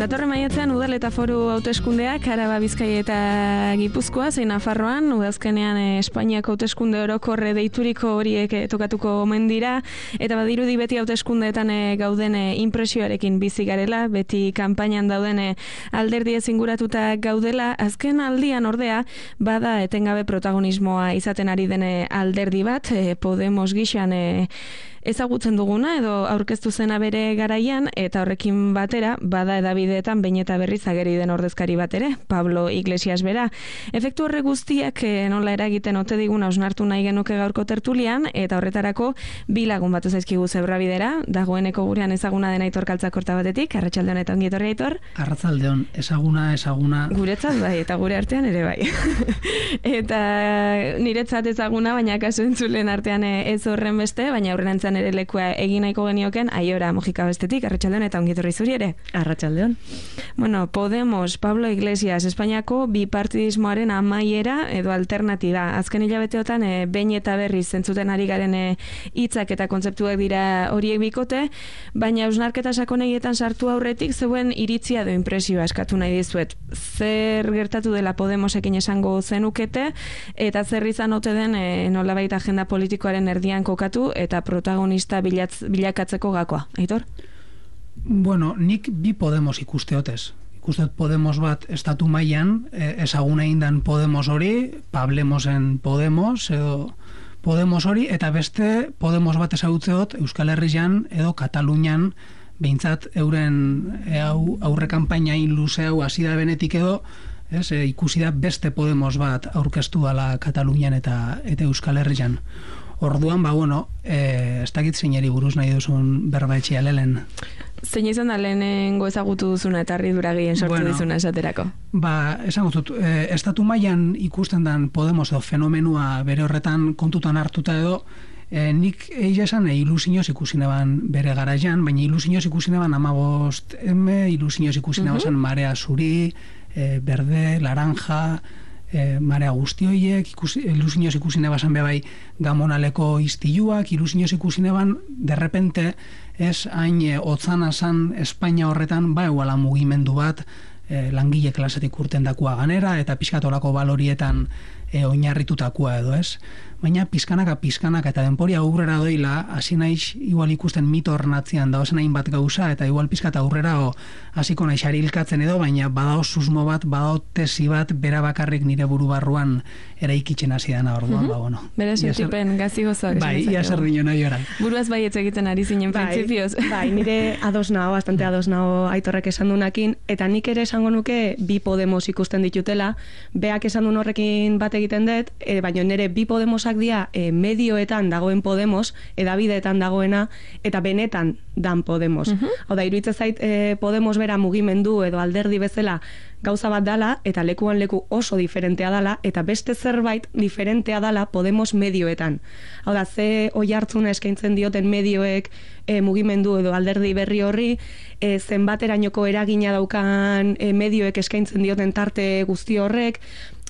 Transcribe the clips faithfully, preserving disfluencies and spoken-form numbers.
Datorren maiatzean udal eta foru hauteskundeak Araba, Bizkaia eta Gipuzkoa zein Nafarroan, udazkenean eh, Espainiako hauteskunde orokorre deituriko horiek eh, tokatuko omen dira, eta badirudi beti hauteskundeetan eh, gauden eh, impresioarekin bizi garela, beti kanpainan dauden eh, alderdi ezinguratuta gaudela. Azken aldian ordea bada etengabe protagonismoa izaten ari dene alderdi bat, eh, Podemos gixan eh, ezagutzen duguna edo aurkeztu zena bere garaian, eta horrekin batera bada edabideetan behin eta berriz ageri den ordezkari bat ere, Pablo Iglesias bera. Efektu horre guztiak eh, nola eragiten ote diguna osnartu nahi genuke gaurko tertulian, eta horretarako bi lagun batu zaizkigu Zebrabidera, dagoeneko gurean ezaguna den Aitor Kaltzakorta batetik. Arratsalde on eta ongi etorri, Aitor. Arratsalde on, ezaguna, ezaguna. Guretzat bai, eta gure artean ere bai. Eta niretzat ezaguna, baina kasu entzulen artean ez horren beste, baina aurrerantzean ere lekua egin nahiko genioken Aiora Mojika bestetik. Arratsalde on eta ongi etorri zuri ere. Arratsalde on. Bueno, Podemos, Pablo Iglesias, Espainiako bipartidismoaren amaiera edo alternatiba. Azken hilabeteotan e, behin eta berriz zentzuten ari garen hitzak eta kontzeptuak dira horiek bikote, baina hausnarketa sakonegietan sartu aurretik zeuen iritzia edo impresioa eskatu nahi dizuet. Zer gertatu dela Podemosekin esango zenukete, eta zer izan ote den e, nolabait agenda politikoaren erdian kokatu eta protagonista bilatz, bilakatzeko gakoa. Aitor? Bueno, nik bi Podemos ikusteotez. Ikusteot Podemos bat estatu mailan, eh, ezaguna indan Podemos hori, Pablemosen Podemos, edo Podemos hori, eta beste Podemos bat ezagutzeot Euskal Herrian edo Katalunian, behintzat euren e, au, aurre kanpainain luze hau hasi da benetik edo, ez, e, ikusi da beste Podemos bat aurkeztu dala Katalunian eta, eta Euskal Herrian. Orduan, ba, bueno, eh, ez dakit zeinari buruz nahi duzun berba etxea lehen. Zein izan da lehenengo ezagutu duzuna eta harridura gehien sortu bueno, dizuna esaterako? Ba, esan gozut, e, estatu mailan ikusten den Podemos edo fenomenua bere horretan kontutan hartuta edo, e, nik egia esan e, ilusioz ikusi neban bere garaian, baina ilusioz ikusi neban amabost eme, ilusioz ikusi neban uh-huh. marea zuri, e, berde, laranja, E, marea guzti horiek, ilusioz ikusi nebasan bebai gamonaleko iztiluak, ilusioz ikusi neban, derrepente, ez hain e, otzana zan Espainia horretan, ba eguala mugimendu bat, e, langile klasetik urten dakua ganera, eta pizkatolako balorietan e, oinarritutakoa edo, ez? Baina pizkanaka, pizkanaka, eta denporia aurrera doila, hasi naiz igual ikusten mito ornatzean daozen hainbat gauza, eta igual pizkata aurrera o, hasiko naiz arilkatzen edo, baina badao susmo bat, badao tesi bat, bera bakarrik nire buru barruan eraikitzen hasi dana orduan, mm-hmm. ba, bueno. Bera sentipen gazi gozoak. Bai, ia zer dino nahi ora. Buruaz bai ez egiten ari zinen bai, printzipioz. Bai, nire ados nao, bastante ados nao Aitorrek esan dunakin, eta nik ere esango nuke bi Podemos ikusten ditutela, beak esan duen horrekin bat egiten dut, e, baina nire bi Podemosak dira e, medioetan dagoen Podemos, edabideetan dagoena, eta benetan dan Podemos. Uh-huh. Hau da, iruditzen zait e, Podemos bera mugimendu edo alderdi bezala gauza bat dala, eta lekuan leku oso diferentea dala, eta beste zerbait diferentea dala Podemos medioetan. Hau da, ze oihartzuna eskaintzen dioten medioek e, mugimendu edo alderdi berri horri, e, zenbaterainoko eragina daukan e, medioek eskaintzen dioten tarte guzti horrek,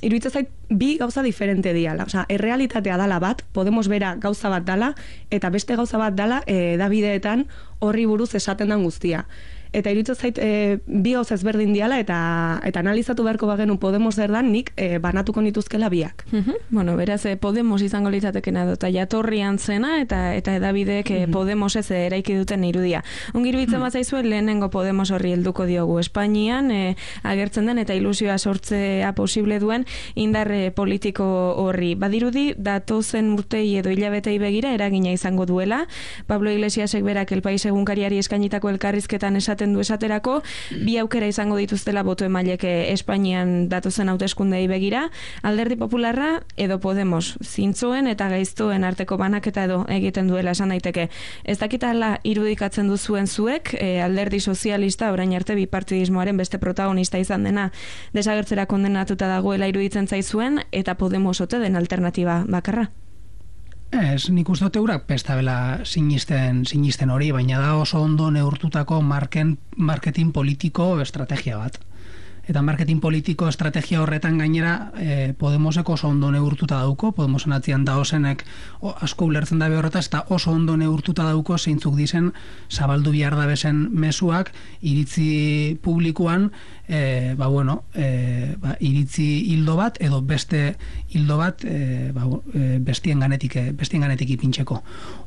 iruditzen zait bi gauza diferente diala. Osea, errealitatea dala bat, Podemos bera gauza bat dala, eta beste gauza bat dala e, edabideetan horri buruz esaten den guztia. Eta iruditzen zait e, bi gauza ezberdin diala, eta eta analizatu beharko bagenu Podemos zer dan, nik e, banatuko nituzkela biak. Uh-huh. Bueno, beraz, e, Podemos izango litzatekena edo, eta jatorrian zena, eta eta edabideek e, uh-huh. Podemos ez eraiki duten irudia. Ongi iruditzen uh-huh. bazaizuen lehenengo Podemos horri helduko diogu Espainian, e, agertzen den eta ilusioa sortzea posible duen indarre politiko horri. Badirudi, datozen urtei edo hilabetei begira eragina izango duela. Pablo Iglesiasek berak El País egunkariari eskainitako elkarrizketan esaten du esaterako, bi aukera izango dituztela boto emaileke Espainian datozen hauteskundei begira, Alderdi Popularra edo Podemos, zintzoen eta gaiztoen arteko banaketa edo egiten duela esan daiteke. Ez dakitala irudikatzen duzuen zuek, e, Alderdi Sozialista orain arte bipartidismoaren beste protagonista izan dena desagertzera kondenatuta dagoela iruditzen zaizuen, eta Podemos ote den alternatiba bakarra? Ez, nik uste dut eurak pestabela sinisten, sinisten hori, baina da oso ondo neurtutako marken, marketing politiko estrategia bat. eta marketing politiko estrategia horretan gainera e, Podemosek oso ondo neurtuta dauko, Podemosen atzian daozenek o, asko ulertzen dabe horretaz, eta oso ondo neurtuta dauko zeintzuk dizen zabaldu bihar dabesen mezuak iritzi publikoan, e, ba bueno, e, ba, iritzi hildo bat edo beste hildo bat e, ba, e, bestien ganetik, bestien ganetik ipintzeko.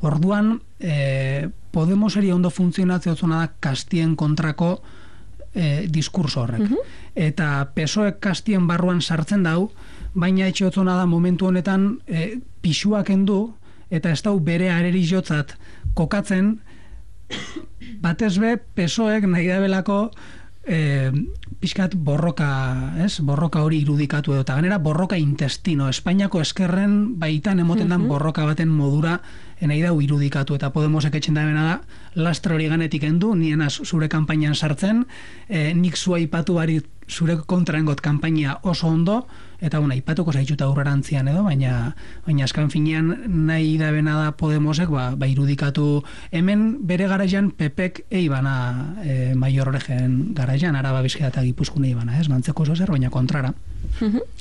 Orduan, e, Podemoseri ondo funtzionatzea otzuna da kastien kontrako E, diskurso horrek. Uh-huh. Eta P S O E kastien barruan sartzen dau, baina etxe otzona da momentu honetan e, pixuak endu, eta ez dau bere areri jotzat kokatzen, batez be P S O Ek nahi da belako e, pixkat borroka, ez? Borroka hori irudikatu edo, eta ganera borroka intestino, Espainiako eskerren baitan emoten dan uh-huh. borroka baten modura nahi dau irudikatu, eta Podemosek etxen da bena da, lastra hori ganetik endu, nienaz zure kanpainan sartzen, e, nik zua ipatu bari zure kontraengot kanpaina oso ondo, eta bueno, ipatuko zaitxuta aurrerantzian edo, baina baina askan finean nahi da bena da Podemosek, ba, ba irudikatu, hemen bere garaian Pepek eibana e, Maior Oregen garaian, Araba Bizkaia eta Gipuzkoa eibana, ez? Mantzeko oso zer, baina kontrara.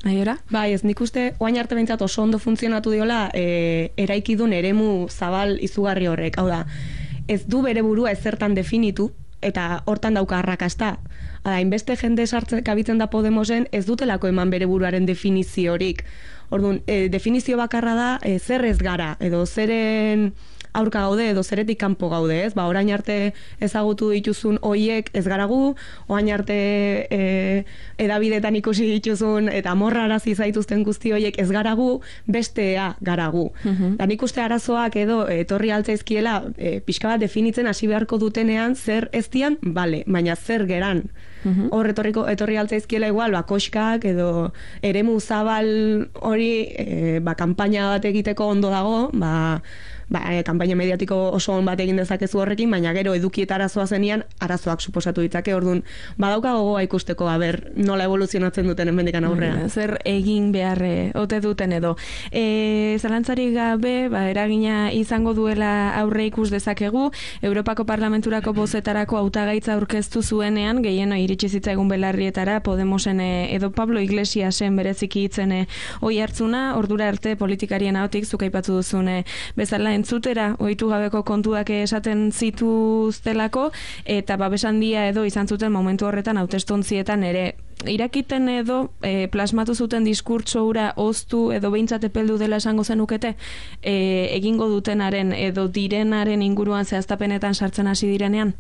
Aiora? Bai, ez nik uste, oain arte behintzat oso ondo funtzionatu diola e, eraikidun eremu zabal izugarri horrek, hau da, ez du bere burua ezertan definitu, eta hortan dauka arrakasta. Hala, inbeste jende sartzen kabitzen da Podemosen, ez dutelako eman bere buruaren definiziorik. Orduan, e, definizio bakarra da, e, zer ez gara, edo zeren aurka gaude, edo zeretik kanpo gaude, ez? Ba, orain arte ezagutu dituzun hoiek ez garagu, orain arte e, edabidetan ikusi dituzun, eta morrarazi zaituzten guzti hoiek ez garagu, bestea garagu. Uh-huh. Da nik uste arazoak edo etorri altzaizkiela e, pixka bat definitzen hasi beharko dutenean zer ez dian, bale, baina zer geran. Uh-huh. Hor etorriko, etorri altzaizkiela igual, ba, koskak edo eremu zabal hori e, ba, kanpaina bat egiteko ondo dago, ba, ba, e, kanpaina mediatiko oso on bat egin dezakezu horrekin, baina gero edukieta arazoa zenian, arazoak suposatu ditzake, orduan, badauka gogoa ikusteko, aber, nola evoluzionatzen duten hemendikan aurrera. Zer egin beharre ote duten edo. E, zalantzarik gabe, ba, eragina izango duela aurre ikus dezakegu, Europako Parlamenturako bozetarako hautagaitza aurkeztu zuenean, gehieno iritsi zitzaigun belarrietara, Podemosen edo Pablo Iglesiasen bereziki hitzen oi hartzuna, ordura arte politikarien ahotik zuk aipatu duzune bezala entzutera, ohitu gabeko kontuak esaten zituztelako, eta babesan dia edo izan zuten momentu horretan hautestontzietan ere irakiten edo e, plasmatu zuten diskurtso hura oztu edo behintzat epeldu dela esango zenukete e, egingo dutenaren edo direnaren inguruan zehaztapenetan sartzen hasi direnean?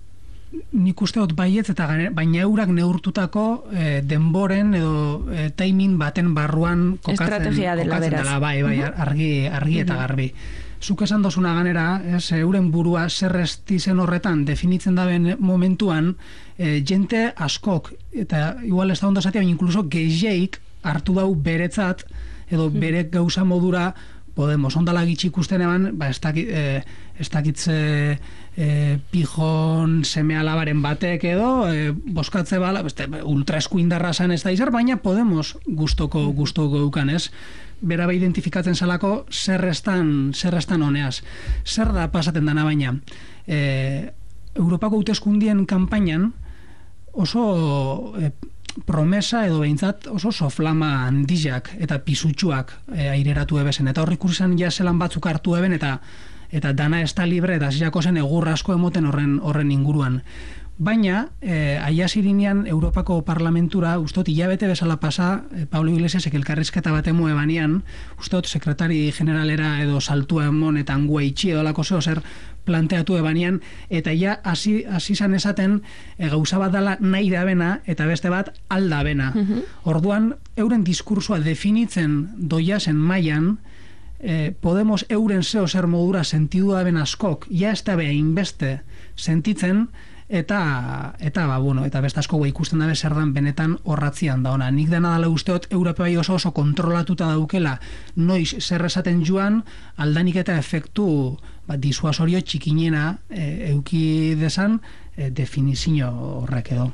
Nik uste dut baietz, eta gane, baina eurak neurtutako e, denboren edo e, timing baten barruan kokatzen, estrategia dela, kokatzen dela, bai, bai, argi, argi eta garbi. Zuk esan dozuna ganera, ez, euren burua zer estizen horretan definitzen daben momentuan, e, jente askok, eta igual ez da ondo zatea, baina inkluso gehieik hartu dau beretzat, edo bere gauza modura Podemos, ondala gitxi ikusten eban, ba, ez dakit, e, ez dakitze e, pijon seme alabaren batek edo, e, boskatze bala, beste, ultra eskuindarra zan ez da izar, baina Podemos gustoko, gustoko eukan, ez? Bera be identifikatzen salako zerrestan, zerrestan honeaz. Zer da pasaten dana baina? E, Europako hauteskundien kanpainan oso e, promesa edo behintzat oso soflama handizak eta pisutsuak e, aireratu ebesen. Eta horrik urrizan jaselan batzuk hartu eben eta eta dana ez da libre eta zilako zen egur asko emoten horren, horren inguruan. Baina, eh, aiazirinean Europako Parlamentura, ustot, hilabete bezala pasa, eh, Pablo Iglesiasek elkarrizketa bat emu ebanean, ustot, sekretari generalera edo saltua emon eta angua itxi edo lako zeo zer planteatu ebanean, eta ja hasi zan esaten e, gauza bat dala nahi da bena, eta beste bat alda bena. Uh-huh. Orduan, euren diskursua definitzen doiazen mailan, eh, Podemos euren zeo zer modura sentidu da ben askok, ja ez da beha inbeste sentitzen, eta eta ba bueno, eta beste asko gua ikusten dabe zer dan benetan horratzian da ona. Nik dena dela usteot Europai oso oso kontrolatuta daukela noiz zer esaten joan, aldanik eta efektu ba, disuasorio txikinena e, euki desan e, definizio horrek edo.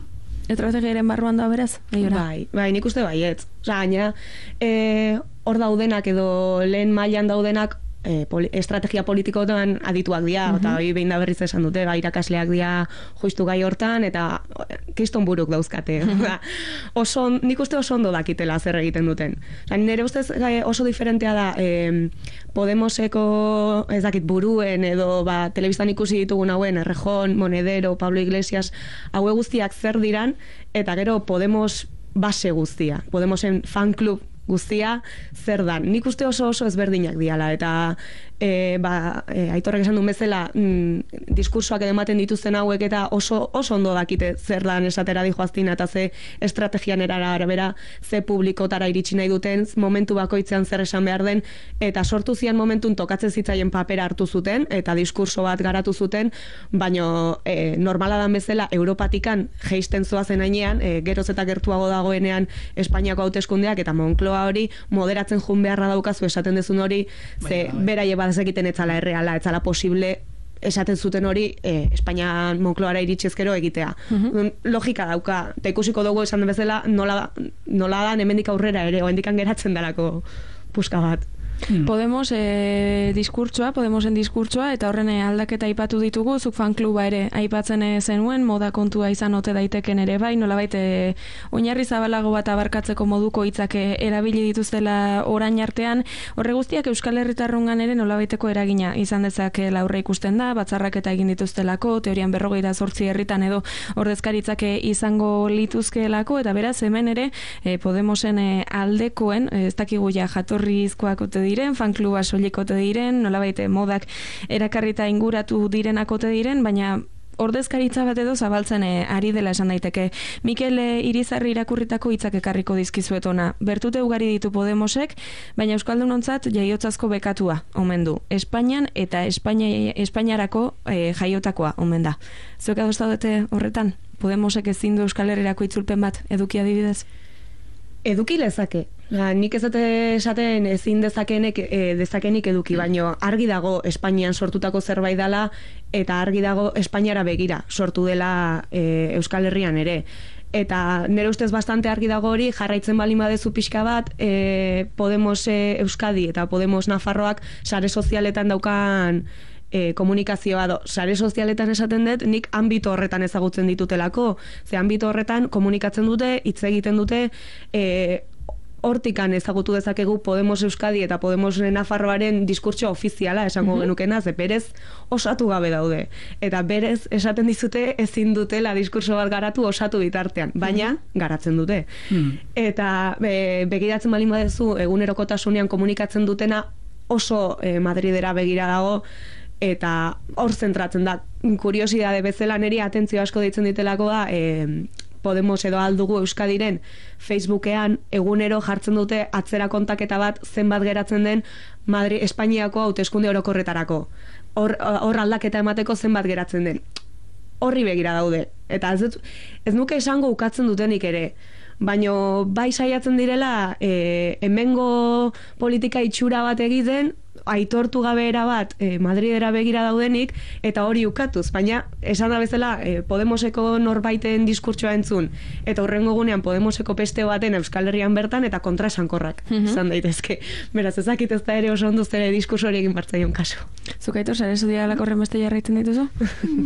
Estrategiaren barruan da beraz? Bai, bai, nik uste baietz. Osa, gaina, e, hor daudenak edo lehen mailan daudenak e, poli, estrategia politikotan adituak dira, Mhm. eta hori behin da berriz esan dute, ba, irakasleak dira justu gai hortan, eta kiston buruk dauzkate. oso, nik uste oso ondo dakitela zer egiten duten. Osa, nire ustez gai, oso diferentea da e, Podemoseko, ez dakit, buruen edo ba, telebistan ikusi ditugun hauen, Errejón, Monedero, Pablo Iglesias, haue guztiak zer diran, eta gero Podemos base guztia, Podemosen fan club guztia zer dan. Nik uste oso oso ezberdinak diala, eta e, ba, e, Aitorrek esan duen bezala mm, diskursoak ematen dituzten hauek eta oso oso ondo dakite zer dan esatera dijoaztina eta ze estrategian arabera ze publikotara iritsi nahi duten, momentu bakoitzean zer esan behar den, eta sortu zian momentun tokatzen zitzaien papera hartu zuten eta diskurso bat garatu zuten, baino e, normala dan bezala Europatikan jeisten zoazen ainean, e, geroz eta gertuago dagoenean Espainiako hauteskundeak eta Moncloa hori moderatzen jun beharra daukazu esaten dezun hori, ze beraie badezekiten etzala erreala, etzala posible esaten zuten hori eh, Espainian Moncloara iritsezkero egitea. Uh-huh. Logika dauka, eta ikusiko dugu esan bezala nola, nola da hemendik aurrera ere, oendikan geratzen dalako puska bat. Hmm. Podemos eh, diskurtsoa, Podemosen diskurtsoa, eta horren aldaketa aipatu ditugu, zuk fankluba ere aipatzen zenuen, moda kontua izan ote daiteken ere bai, nolabait eh, oinarri zabalago bat abarkatzeko moduko hitzak erabili dituztela orain artean, horre guztiak Euskal Herritarrungan ere nolabaiteko eragina izan dezake aurre ikusten da, batzarrak eta egin dituztelako, teorian berrogeita zortzi herritan edo ordezkaritzak izango lituzkeelako, eta beraz hemen ere eh, Podemosen eh, aldekoen, eh, ez dakigu ja jatorrizkoak ote diren, fankluba solikote diren, nolabait modak erakarrita inguratu direnakote diren, baina ordezkaritza bat edo zabaltzen e, ari dela esan daiteke. Mikel e, Irizarri irakurritako hitzak ekarriko dizkizuet ona. Bertute ugari ditu Podemosek, baina euskaldunontzat jaiotzazko bekatua omen du. Espainian eta Espainia, Espainiarako e, jaiotakoa omen da. Zuek adostadete horretan? Podemosek ezin du Euskal Herrirako itzulpen bat eduki adibidez? Eduki lezake. Ja, nik ez dute esaten ezin dezakenek e, dezakenik eduki, baino argi dago Espainian sortutako zerbait dela eta argi dago Espainiara begira sortu dela e, Euskal Herrian ere. Eta nire ustez bastante argi dago hori, jarraitzen balin badezu pixka bat, e, Podemos e, Euskadi eta Podemos Nafarroak sare sozialetan daukan E, komunikazioa do, sare sozialetan esaten dut, nik ambito horretan ezagutzen ditutelako, ze ambito horretan komunikatzen dute, hitz egiten dute, e, hortikan ezagutu dezakegu Podemos Euskadi eta Podemos Nafarroaren diskurtso ofiziala esango mm-hmm. genukena, ze berez osatu gabe daude. Eta berez esaten dizute ezin dutela diskurso bat garatu osatu bitartean, baina mm-hmm. garatzen dute. Mm-hmm. Eta be, begiratzen balin badezu egunerokotasunean komunikatzen dutena oso e, Madridera begira dago, eta hor zentratzen da. Kuriosidade bezala niri atentzio asko deitzen ditelako da, e, Podemos edo aldugu Euskadiren Facebookean egunero jartzen dute atzera kontaketa bat zenbat geratzen den Madri, Espainiako hauteskunde orokorretarako. Hor, hor aldaketa emateko zenbat geratzen den. Horri begira daude. Eta ez, ez nuke esango ukatzen dutenik ere. Baino bai saiatzen direla e, hemengo politika itxura bat egiten, aitortu gabe era bat e, Madridera begira daudenik eta hori ukatuz, baina esan da bezala e, Podemoseko norbaiten diskurtsoa entzun eta hurrengo gunean Podemoseko peste baten Euskal Herrian bertan eta kontraesankorrak izan mm-hmm. daitezke. Beraz, ezakit ez da ere oso ondo zere diskurso hori egin bartzaion kasu. Zuk aitor, sare sozialak horren beste jarraitzen dituzu?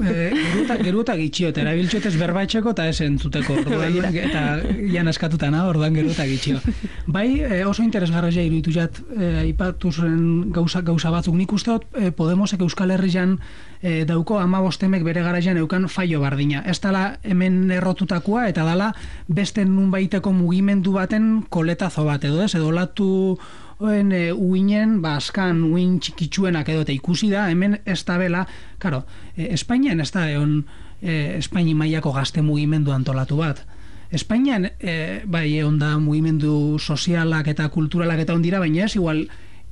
e, geruta, geruta gitxio, eta erabiltxotez berbaetxeko eta ez entzuteko, orduan, eta jan askatutana, orduan geruta gitxio. Bai, e, oso interesgarria iruditu jat, e, aipatu zuen gauza, gauza batzuk. Nik uste dut e, Podemosek Euskal Herrian e, dauko hamabostemek bere garaian eukan faio bardina. Ez dala hemen errotutakoa eta dala beste nunbaiteko mugimendu baten koletazo bat edo ez, edo latu oen e, uinen, ba, askan uin txikitsuenak edo eta ikusi da, hemen ez da bela, karo, e, Espainian ez da egon e, Espaini mailako gazte mugimendu antolatu bat. Espainian e, bai egon da mugimendu sozialak eta kulturalak eta ondira, baina ez igual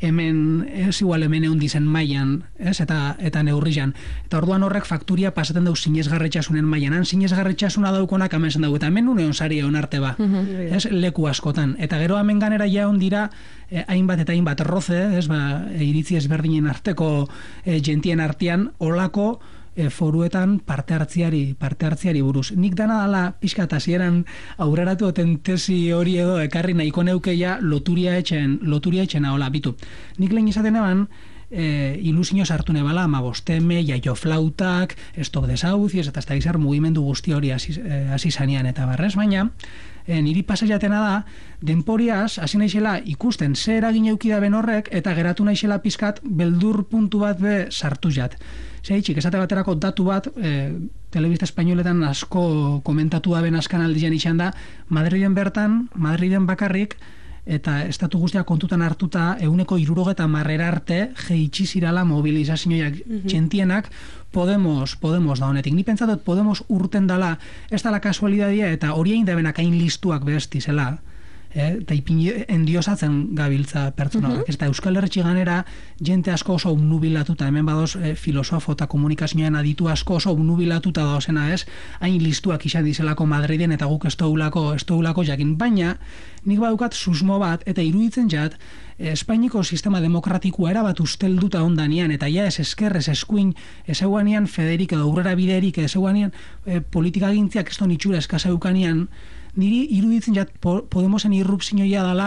hemen, ez igual hemen egon dizen mailan, ez, eta, eta neurrian. Eta orduan horrek fakturia pasaten dau sinesgarretxasunen mailan. Han sinesgarretxasuna daukonak hemen zen dugu, eta hemen une onsari egon arte ba, mm-hmm. ez, leku askotan. Eta gero hemen ganera ja ondira eh, hainbat eta hainbat roze, ez, ba, iritzi ezberdinen arteko eh, gentien artean, olako E, foruetan parte hartziari, parte hartziari buruz. Nik dana dala pixka eta zieran aurreratu oten tesi hori edo ekarri nahiko neukeia loturia etxen, loturia etxena hola, bitu. Nik lehen izaten eban, e, ilusio sartu nebala, amabosteme, jaio flautak, stop desauzies, eta ez da gizar mugimendu guzti hori hasi e, zanean eta barrez, baina e, niri pasaiatena da, denporiaz, hasi naizela ikusten ze eragin eukida ben horrek, eta geratu naizela pizkat beldur puntu bat be sartu jat. Zeitxik, esate baterako datu bat, e, telebista espainoletan asko komentatu da ben askan aldian izan da, Madriden bertan, Madriden bakarrik, eta estatu guztia kontutan hartuta euneko irurogeta marrera arte jeitsi zirala mobilizazioak mm-hmm. txentienak Podemos, Podemos da honetik. Ni pentsatot Podemos urten dala, ez dala kasualidadia eta hori egin debenak hain listuak bestizela. Eh, eta ipini endiosatzen gabiltza pertsona. Uh-huh. Eta Euskal Herri ganera jente asko oso obnubilatuta, hemen badoz eh, filosofo eta komunikazioan aditu asko oso obnubilatuta dauzena ez, hain listuak izan dizelako Madriden eta guk ez doulako, ez doulako jakin. Baina, nik badukat susmo bat, eta iruditzen jat, Espainiko sistema demokratikoa erabat ustelduta ondanian, eta ja ez eskerrez eskuin, ez eguanian federik edo aurrera biderik, ez eguanian eh, politika gintziak ez don itxura eskazeukanian, niri iruditzen jat Podemosen irrupzioia dela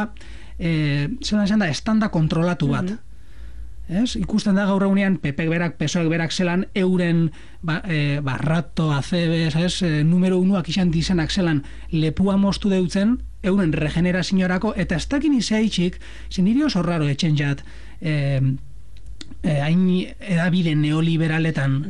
e, zelan esan da, estanda kontrolatu bat. Mm-hmm. Ez? Ikusten da gaur egunean P P berak, P S O ek berak zelan euren ba, e, barrato, azebes, ez? E, numero unuak izan dizenak zelan lepua moztu deutzen euren regeneraziorako, eta ez dakin izaitxik, zen niri oso raro etxen jat e, e, hain edabide neoliberaletan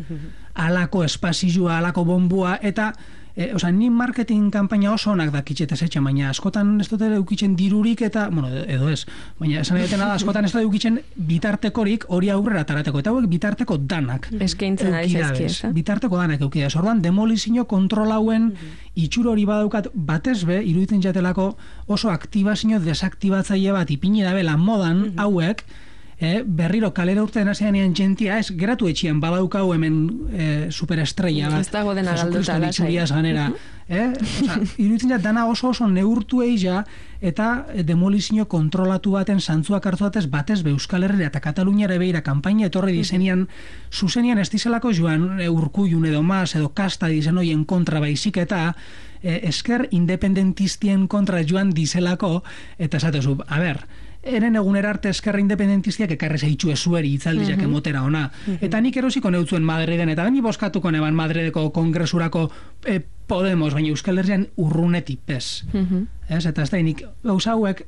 alako espazioa, alako bombua, eta E, oza, ni marketing kanpaina oso onak dakitxetez etxe, baina askotan ez dut eukitzen dirurik eta, bueno, edo ez, baina esan edetena da, askotan ez dut eukitzen bitartekorik hori aurrera tarateko, eta hauek bitarteko danak. Eskaintzen ari zaizkiez. Bitarteko danak eukidaz. Orduan, demolizio kontrolauen mm-hmm. itxuro hori badaukat batez be, iruditzen jatelako oso aktibazio desaktibatzaile bat ipini dabela modan mm-hmm. hauek, Eh, berriro kalera urtean aseanean jentia, ez, geratu etxian badaukau hemen eh, superestrella bat. Ez dago dena galduta lasai. Ganera. Eh? Osa, iruditzen jat, dana oso oso neurtu egia, eta demolizio kontrolatu baten zantzuak hartu batez, batez be Euskal Herria eta Kataluniara beira kanpaina etorri dizenian, zuzenian ez dizelako joan e, Urkullun edo Mas edo Kasta dizen hoien kontra baizik eta e, esker independentistien kontra joan dizelako, eta esatezu, a ber, eren egunera arte eskerra independentistiak ekarrez eitxu ezueri itzaldiak mm-hmm. emotera ona. Mm-hmm. Eta nik erosiko neutzuen Madriden, eta ni boskatuko neban Madrideko kongresurako e, Podemos, baina Euskal Herrian urruneti pez. Mm-hmm. Ez, eta ez da, nik gauza hauek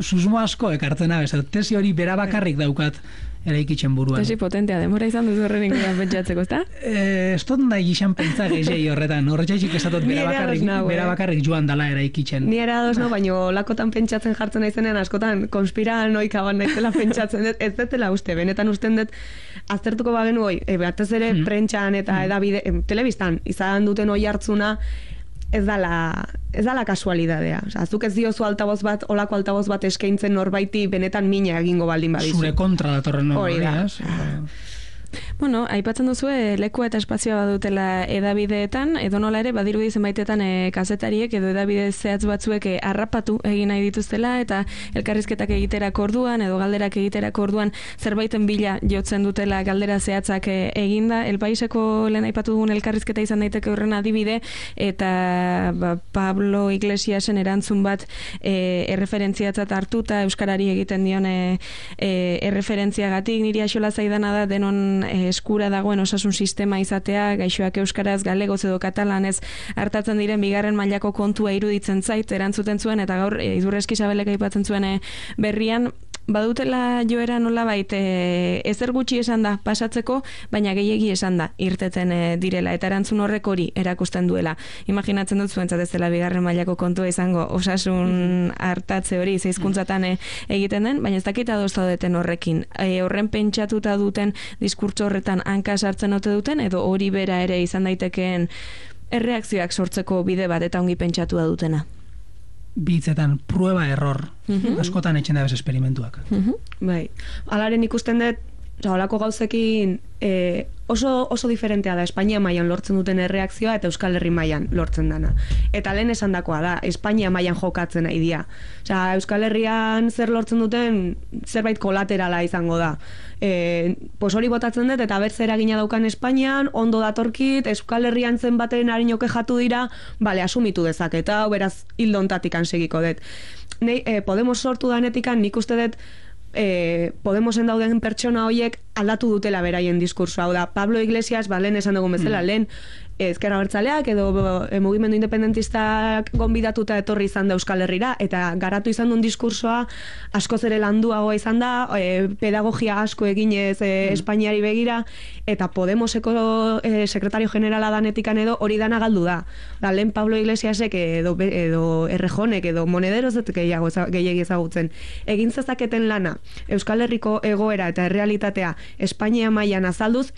susmo asko ekartzen abez, tesi hori bera bakarrik daukat eraikitzen buruan. Tesi potentea, demora izan duzu horren inguruan pentsatzeko, ezta? Eh, ez dut nahi gizan pentsa gehiagei horretan, horretxaik esatot bera bakarrik, nau, bera bakarrik joan dala eraikitzen. Ni era ados no, baina lakotan pentsatzen jartzen naizenean askotan konspiranoikaban naizela pentsatzen dut, ez dutela uste, benetan usten dut aztertuko bagenu hoi, e, batez ere mm. prentxan eta mm. edabide, e, telebistan, izan duten hoi hartzuna, ez dala, ez dala kasualidadea. Osa, zuk ez diozu altaboz bat, olako altaboz bat eskaintzen norbaiti benetan mina egingo baldin badizu. Zure kontra datorren hori da. Bueno, aipatzen duzu lekua eta espazioa badutela edabideetan, edo nola ere badirudi zenbaitetan e, kazetariek edo edabide zehatz batzuek e, harrapatu egin nahi dituztela eta elkarrizketak egiterak orduan edo galderak egiterak orduan zerbaiten bila jotzen dutela galdera zehatzak e, eginda. El Paiseko lehen aipatu dugun elkarrizketa izan daiteke horren adibide eta ba, Pablo Iglesiasen erantzun bat e, erreferentziatzat hartuta euskarari egiten dion e, e, erreferentziagatik niri axola zaidana da denon eskura dagoen osasun sistema izatea, gaixoak euskaraz, galegoz edo katalanez hartatzen diren bigarren mailako kontua iruditzen zait, erantzuten zuen, eta gaur e, Idurreski Sabelek aipatzen zuen e, berrian, badutela joera nolabait e, ezer gutxi esan da pasatzeko, baina gehiegi esan da irteten e, direla, eta erantzun horrek hori erakusten duela. Imaginatzen dut zuentzat ez dela bigarren mailako kontua izango osasun hartatze hori zeizkuntzatan e, egiten den, baina ez dakita doztaudeten horrekin. E, horren pentsatuta duten diskurtso horretan hanka sartzen ote duten, edo hori bera ere izan daitekeen erreakzioak sortzeko bide bat eta ongi pentsatua dutena. Bitzetan, prueba error. Mm-hmm. Askotan etxen da bez esperimentuak. Mm-hmm. Bai. Alaren ikusten dut, olako gauzekin e, oso, oso diferentea da Espainia mailan lortzen duten erreakzioa eta Euskal Herri mailan lortzen dana. Eta lehen esandakoa da, Espainia mailan jokatzen nahi dira. Osea, Euskal Herrian zer lortzen duten zerbait kolaterala izango da. E, pos hori botatzen dut eta bertze eragina daukan Espainian, ondo datorkit, Euskal Herrian zen baten harinoke jatu dira, bale, asumitu dezaketa, beraz hildontatik segiko dut. Nei, e, Podemos sortu danetikan nik uste dut e, Podemosen dauden pertsona horiek aldatu dutela beraien diskursoa. Hau da, Pablo Iglesias, ba, lehen esan dugun bezala, mm. lehen ezker abertzaleak edo e, mugimendu independentistak gonbidatuta etorri izan da Euskal Herrira, eta garatu izan duen diskursoa askoz ere landuagoa izan da, e, pedagogia asko eginez e, mm. Espainiari begira, eta Podemoseko e, sekretario generala danetikan edo hori dana galdu da. Da, lehen Pablo Iglesiasek edo, edo Errejonek edo Monederoz dut gehiagi ezagutzen. Egin zezaketen lana Euskal Herriko egoera eta errealitatea Espainia mailan azalduz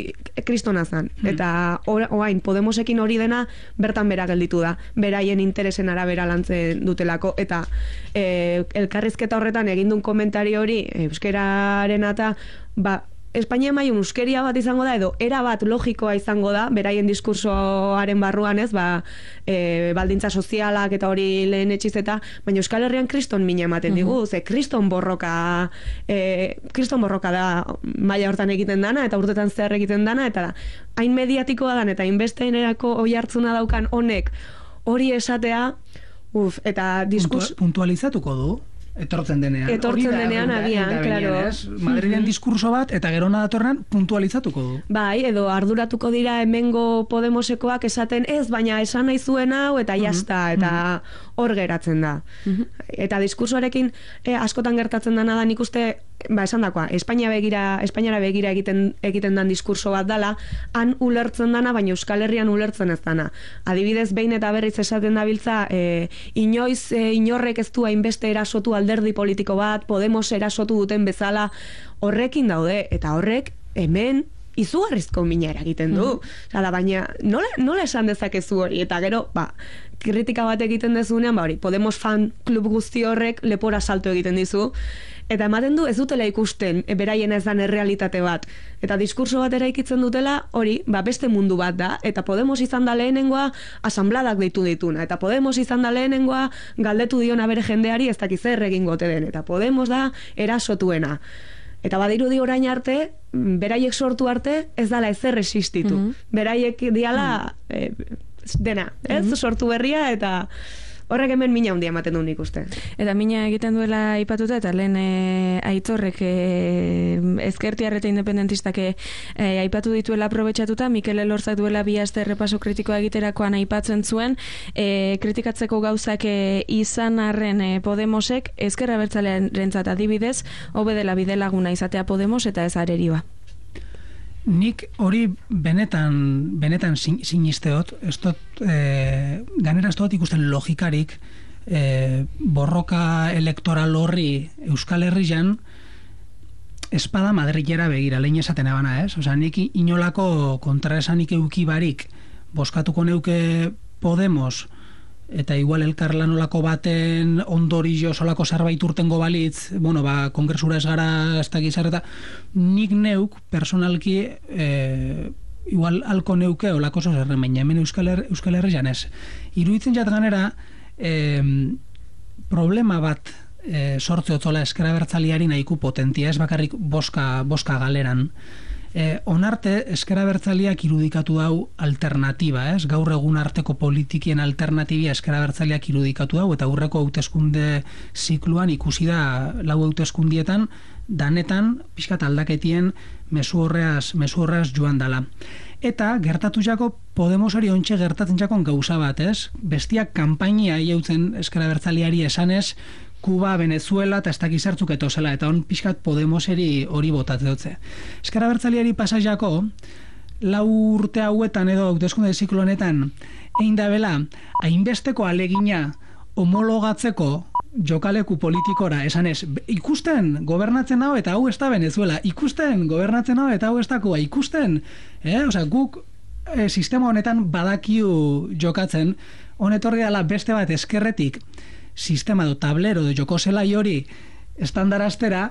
kristona zan. Mm. Eta orain Podemos ekin hori dena bertan bera gelditu da, beraien interesen arabera lantzen dutelako, eta e, elkarrizketa horretan egindun komentario hori euskeraren eta ba, Espainia mailan euskeria bat izango da, edo era bat logikoa izango da, beraien diskursoaren barruan ez, ba, e, baldintza sozialak eta hori lehen etxiz eta, baina Euskal Herrian kriston mina ematen digu, uh-huh. ze kriston borroka, e, kriston borroka da maila hortan egiten dana, eta urtetan zehar egiten dana, eta da, hain mediatikoa dan, eta hainbesteenerako oi hartzuna daukan honek hori esatea, uf, eta diskus... Puntualizatuko du? Etortzen denean. Etortzen denean, agian, claro. Madrilen mm-hmm. diskurso bat, eta gerona datorren puntualizatuko du. Bai, edo arduratuko dira hemengo Podemosekoak esaten ez, baina esan nahi zuen hau, eta mm-hmm. jazta, eta mm-hmm. hor geratzen da. Mm-hmm. Eta diskursoarekin eh, askotan gertatzen dena da, nik uste, ba, esan dakoa, Espainia begira, Espainiara begira egiten, egiten dan diskurso bat dala, han ulertzen dana, baina Euskal Herrian ulertzen ez dana. Adibidez, behin eta berriz esaten dabiltza, eh, inoiz eh, inorrek ez du hainbeste erasotu alderdi politiko bat, Podemos erasotu duten bezala, horrekin daude, eta horrek hemen izugarrizko mina eragiten du. Mm-hmm. Oda, baina nola, nola esan dezakezu hori, eta gero, ba, kritika bat egiten dezunean, ba hori, Podemos fan klub guzti horrek lepora salto egiten dizu, eta ematen du ez dutela ikusten e, beraien ez dan errealitate bat. Eta diskurso bat eraikitzen dutela, hori, ba, beste mundu bat da, eta Podemos izan da lehenengoa asambladak deitu dituna, eta Podemos izan da lehenengoa galdetu diona bere jendeari ez dakiz zer egingote den, eta Podemos da erasotuena. Eta badirudi orain arte, beraiek sortu arte, ez dala ezer existitu. Mm-hmm. Beraiek diala mm-hmm. e, dena, ez? Mm-hmm. Sortu berria, eta horrek hemen mina handia ematen du nik uste. Eta mina egiten duela aipatuta, eta lehen e, Aitorrek e, ezkertiar eta independentistak e, aipatu dituela aprobetxatuta, Mikel Elorzak duela bi aste errepaso kritikoa egiterakoan aipatzen zuen, e, kritikatzeko gauzak e, izan arren e, Podemosek, ezker abertzalearentzat adibidez, hobe dela bidelaguna izatea Podemos eta ez areriba. Nik hori benetan benetan sin, sinisteot, ez dut, e, ganera ez dut ikusten logikarik, e, borroka elektoral horri Euskal Herrian espada Madrilera begira, lehen esaten ebana, ez? Osa, nik inolako kontraesanik eukibarik boskatuko neuke Podemos, eta igual elkarlanolako baten ondorio solako zerbait urtengo balitz, bueno, ba, kongresura ez gara ez da gizarreta, nik neuk personalki e, igual alko neuke olako zozerren, baina hemen Euskal, Her- Euskal Herrian ez. Iruditzen jat ganera e, problema bat e, sortze otzola eskera bertzaliari nahiku potentia, ez bakarrik boska, boska galeran. E, onarte, ezker abertzaleak irudikatu dau alternatiba, ez? Gaur egun arteko politikien alternatibia ezker abertzaleak irudikatu dau, eta aurreko hauteskunde zikluan ikusi da lau hauteskundietan danetan pixkat aldaketien mezu horreaz, mezu horreaz joan dala. Eta gertatu jako Podemosari ontxe gertatzen jakon gauza bat, ez? Bestiak kanpainia jautzen ezker abertzaleari esanez, Kuba, Venezuela eta ez dakizartzuk etozela, eta on pixkat Podemoseri hori botatze dutze. Ezker abertzaleari pasaiako, lau urte hauetan edo hauteskunde ziklo honetan, egin da bela, hainbesteko alegina homologatzeko jokaleku politikora, esanez, ikusten gobernatzen hau eta hau ez da Venezuela, ikusten gobernatzen hau eta hau ez da Kuba, ikusten, eh? Osa, guk e, sistema honetan badakiu jokatzen, honetorri dela beste bat eskerretik, sistema do tablero de joko zelai hori estandaraztera,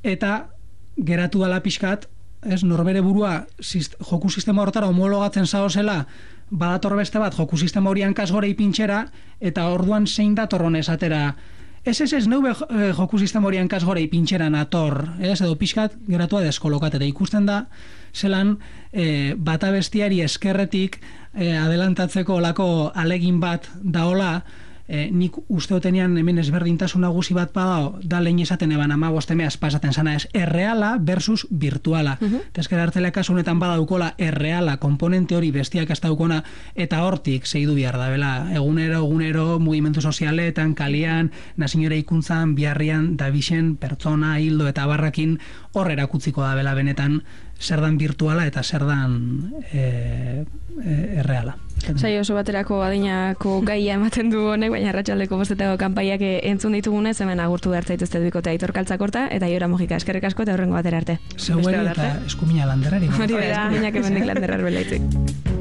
eta geratu dala pixkat, ez, norbere burua sist, joku sistema hortara homologatzen zaozela, badator beste bat joku sistema hori hankasgore ipintxera, eta orduan zein datorron esatera, ez ez ez neube joku sistema hori hankasgore ipintxera nator, ez, edo pixkat geratua deskolokat, eta ikusten da zelan e, bata bestiari eskerretik e, adelantatzeko olako alegin bat daola, e, nik usteotenean hemen ezberdintasun nagusi bat badao, da lehen esaten eban amabostemeaz pasaten sana ez, erreala versus virtuala. Uh -huh. Tezkera hartzela kasu honetan badaukola erreala, komponente hori bestiak ez daukona, eta hortik zeidu behar da, bela, egunero, egunero, mugimendu sozialetan, kalian, nazionera ikuntzan, biharrian, dabixen, pertsona, hildo eta barrakin, hor erakutziko da, bela, benetan, zer dan virtuala eta zer dan e, e, erreala. Sai oso baterako adinako gaia ematen du honek, baina arratsaldeko bostetako kanpaiak entzun ditugunez, hemen agurtu behar zaituzte duikote Aitor Kaltzakorta eta Iora Mojika. Eskerrik asko eta hurrengo batera arte. Zeueri eta eskumina landerari. Hori da, eskuminak emendik landerar belaitzik.